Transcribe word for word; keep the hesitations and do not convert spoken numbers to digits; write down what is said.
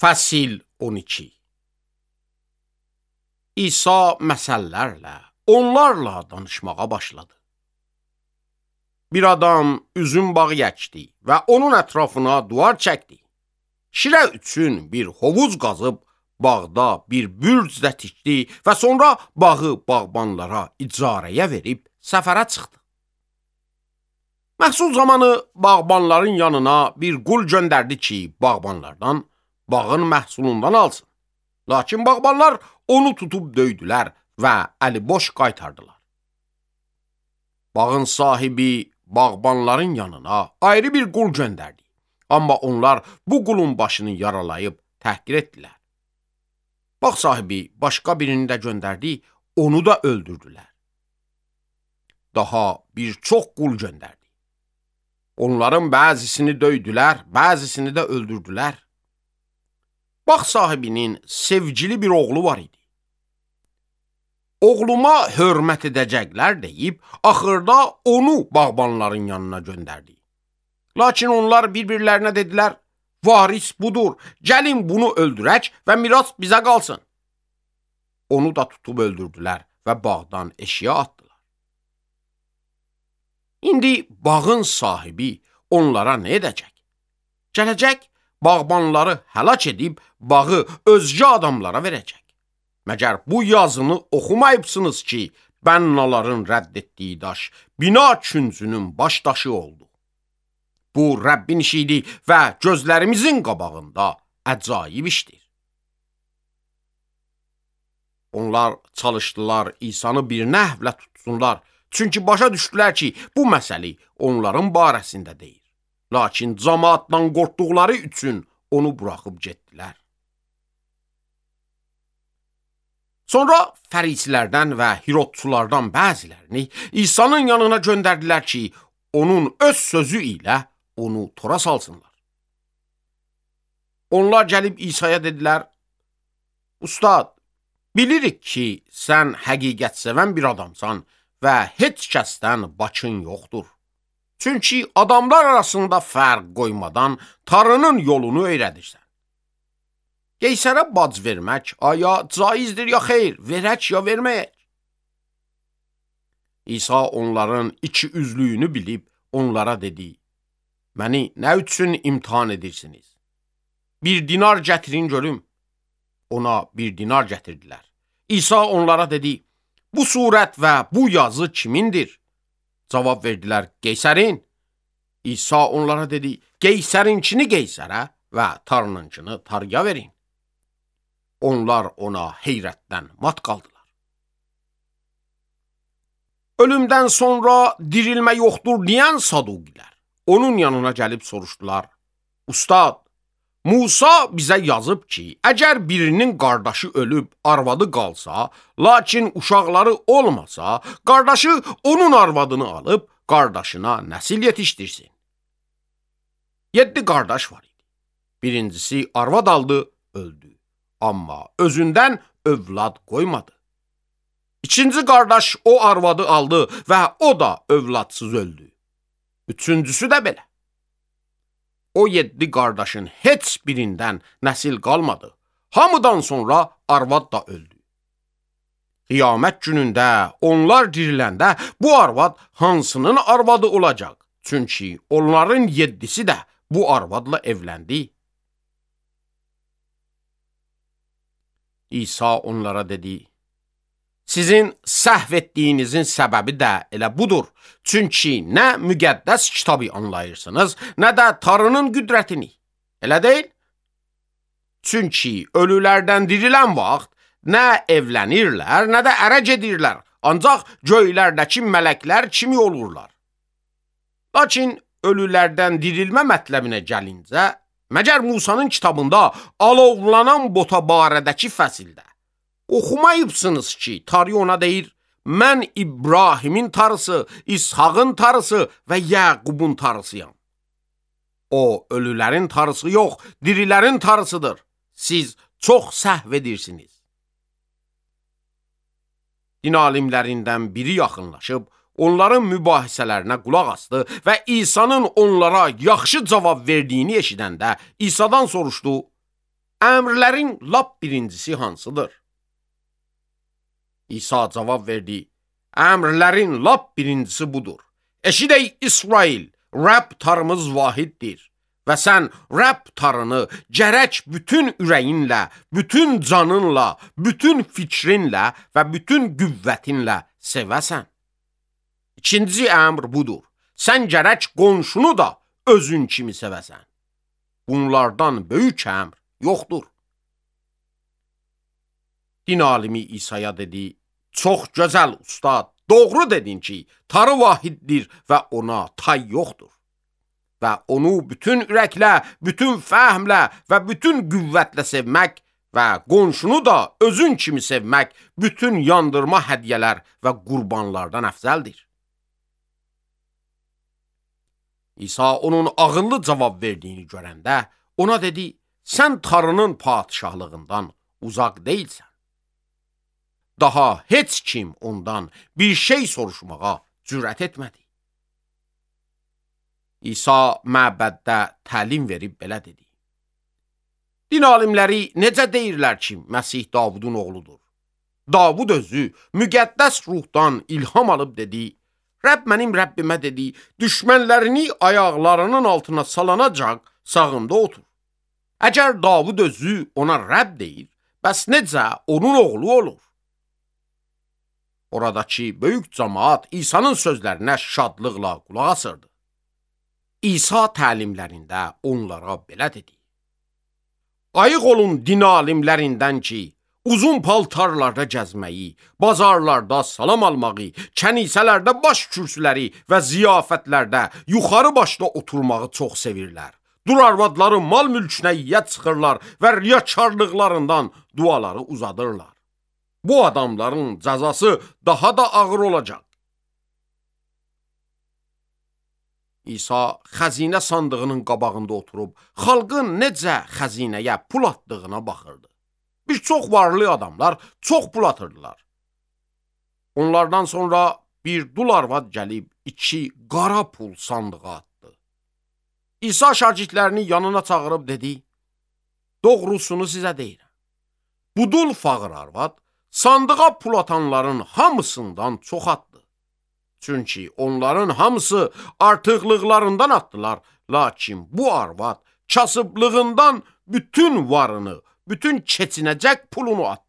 Fəsil on iki. İsa məsəllərlə, onlarla danışmağa başladı. Bir adam üzüm bağı əkdi və onun ətrafına duvar çəkdi. Şirə üçün bir hovuz qazıb, bağda bir bürc də tikdi və sonra bağı bağbanlara icarəyə verib səfərə çıxdı. Məhsul zamanı bağbanların yanına bir qul göndərdi ki, bağbanlardan bağın məhsulundan alsın. Lakin bağbanlar onu tutub döydülər və əli boş qaytardılar. Bağın sahibi bağbanların yanına ayrı bir qul göndərdi. Amma onlar bu qulun başını yaralayıb təhqir etdilər. Bağ sahibi başqa birini də göndərdi, onu da öldürdülər. Daha bir çox qul göndərdi. Onların bəzisini döydülər, bəzisini də öldürdülər. Bağ sahibinin sevgili bir oğlu var idi. Oğluma hörmət edəcəklər deyib, axırda onu bağbanların yanına göndərdi. Lakin onlar bir-birlərinə dedilər, varis budur, gəlin bunu öldürək və miras bizə qalsın. Onu da tutub öldürdülər və bağdan eşiyə atdılar. İndi bağın sahibi onlara nə edəcək? Gələcək, bağbanları həlak edib bağı özgə adamlara verəcək. Məgər bu yazını oxumayıbsınız ki, bənnaların rədd etdiyi daş, bina küncünün baş daşı oldu. Bu Rəbbin işidir və gözlərimizin qabağında əcaib işdir. Onlar çalışdılar İsanı bir nəhvlə tutsunlar, çünki başa düşdülər ki, bu məsəli onların barəsində deyil. Lakin cəmaatdan qorxduqları üçün onu buraxıb getdilər. Sonra fərisilərdən və Hirodçulardan bəzilərini İsa'nın yanına göndərdilər ki, onun öz sözü ilə onu tora salsınlar. Onlar gəlib İsa'ya dedilər, Ustad, bilirik ki, sən həqiqət sevən bir adamsan və heç kəsdən başın yoxdur. Çünki adamlar arasında fərq qoymadan Tanrının yolunu öyrədirsən. Qeysərə bac vermək aya caizdir ya xeyr, verək ya verməyək? İsa onların iki üzlüyünü bilib onlara dedi, məni nə üçün imtihan edirsiniz? Bir dinar gətirin görüm. Ona bir dinar gətirdilər. İsa onlara dedi, bu surət və bu yazı kimindir? Cavab verdilər, Qeysərin. İsa onlara dedi, Qeysərinkini Qeysərə və Tanrınınkini Tanrıya verin. Onlar ona heyrətdən mat qaldılar. Ölümdən sonra dirilmə yoxdur deyən Saduqilər onun yanına gəlib soruşdular, Ustad, Musa bizə yazıb ki, əgər birinin qardaşı ölüb arvadı qalsa, lakin uşaqları olmasa, qardaşı onun arvadını alıb qardaşına nəsil yetişdirsin. Yeddi qardaş var idi. Birincisi arvad aldı, öldü. Amma özündən övlad qoymadı. İkinci qardaş o arvadı aldı və o da övladsız öldü. Üçüncüsü də belə. O yeddi qardaşın heç birindən nəsil qalmadı. Hamıdan sonra arvad da öldü. Qiyamət günündə onlar diriləndə bu arvad hansının arvadı olacaq? Çünki onların yeddisi də bu arvadla evləndi. İsa onlara dedi, sizin səhv etdiyinizin səbəbi də elə budur. Çünki nə müqəddəs kitabı anlayırsınız, nə də Tanrının qüdrətini. Elə deyil? Çünki ölülərdən dirilən vaxt nə evlənirlər, nə də ərə gedirlər, ancaq göylərdəki mələklər kimi olurlar. Lakin ölülərdən dirilmə mətləbinə gəlincə, məgər Musanın kitabında alovlanan bota barədəki fəsildə oxumayıbsınız ki, Tanrı ona deyir, mən İbrahimin Tanrısı, İshağın Tanrısı və Yaqubun Tanrısıyam. O, ölülərin Tanrısı yox, dirilərin Tanrısıdır. Siz çox səhv edirsiniz. Din alimlərindən biri yaxınlaşıb, onların mübahisələrinə qulaq asdı və İsa'nın onlara yaxşı cavab verdiyini eşidəndə İsa'dan soruşdu, əmrlərin lap birincisi hansıdır? İsa cavab verdi, əmrlərin lap birincisi budur. Eşidək İsrail, Rəbb tarımız vahiddir və sən Rəbb tarını gərək bütün ürəyinlə, bütün canınla, bütün fikrinlə və bütün qüvvətinlə sevəsən. İkinci əmr budur. Sən gərək qonşunu da özün kimi sevəsən. Bunlardan böyük əmr yoxdur. Din alimi İsa'ya dedi, çox gözəl ustad, doğru dedin ki, tarı vahiddir və ona tay yoxdur. Və onu bütün ürəklə, bütün fəhmlə və bütün qüvvətlə sevmək və qonşunu da özün kimi sevmək bütün yandırma hədiyyələr və qurbanlardan əfzəldir. İsa onun ağıllı cavab verdiyini görəndə ona dedi, sən tarının padişahlığından uzaq deyilsən. Daha heç kim ondan bir şey soruşmağa cürət etmədi. İsa məbəddə təlim verib belə dedi. Din alimləri necə deyirlər ki, Məsih Davudun oğludur? Davud özü müqəddəs ruhdan ilham alıb dedi, Rəbb mənim Rəbbimə dedi, düşmənlərini ayaqlarının altına salanacaq sağında otur. Əgər Davud özü ona Rəbb deyir, bəs necə onun oğlu olur? Oradakı böyük cəmaat İsa'nın sözlərinə şadlıqla qulaq asırdı. İsa təlimlərində onlara belə dedi. Ayıq olun din alimlərindən ki, uzun paltarlarda gəzməyi, bazarlarda salam almağı, kənisələrdə baş kürsüləri və ziyafətlərdə yuxarı başda oturmağı çox sevirlər. Dur arvadları mal mülkünə yiyyət çıxırlar və riyakarlıqlarından duaları uzadırlar. Bu adamların cəzası daha da ağır olacaq. İsa xəzinə sandığının qabağında oturub, xalqın necə xəzinəyə pul atdığına baxırdı. Bir çox varlı adamlar çox pul atırdılar. Onlardan sonra bir dul arvad gəlib iki qara pul sandığa atdı. İsa şagirdlərini yanına çağırıb dedi, doğrusunu sizə deyirəm. Bu dul fağır arvad sandığa pul atanların hamısından çox atdı. Çünki onların hamısı artıqlıqlarından atdılar, lakin bu arvad kasıblığından bütün varını, bütün keçinəcək pulunu atdı.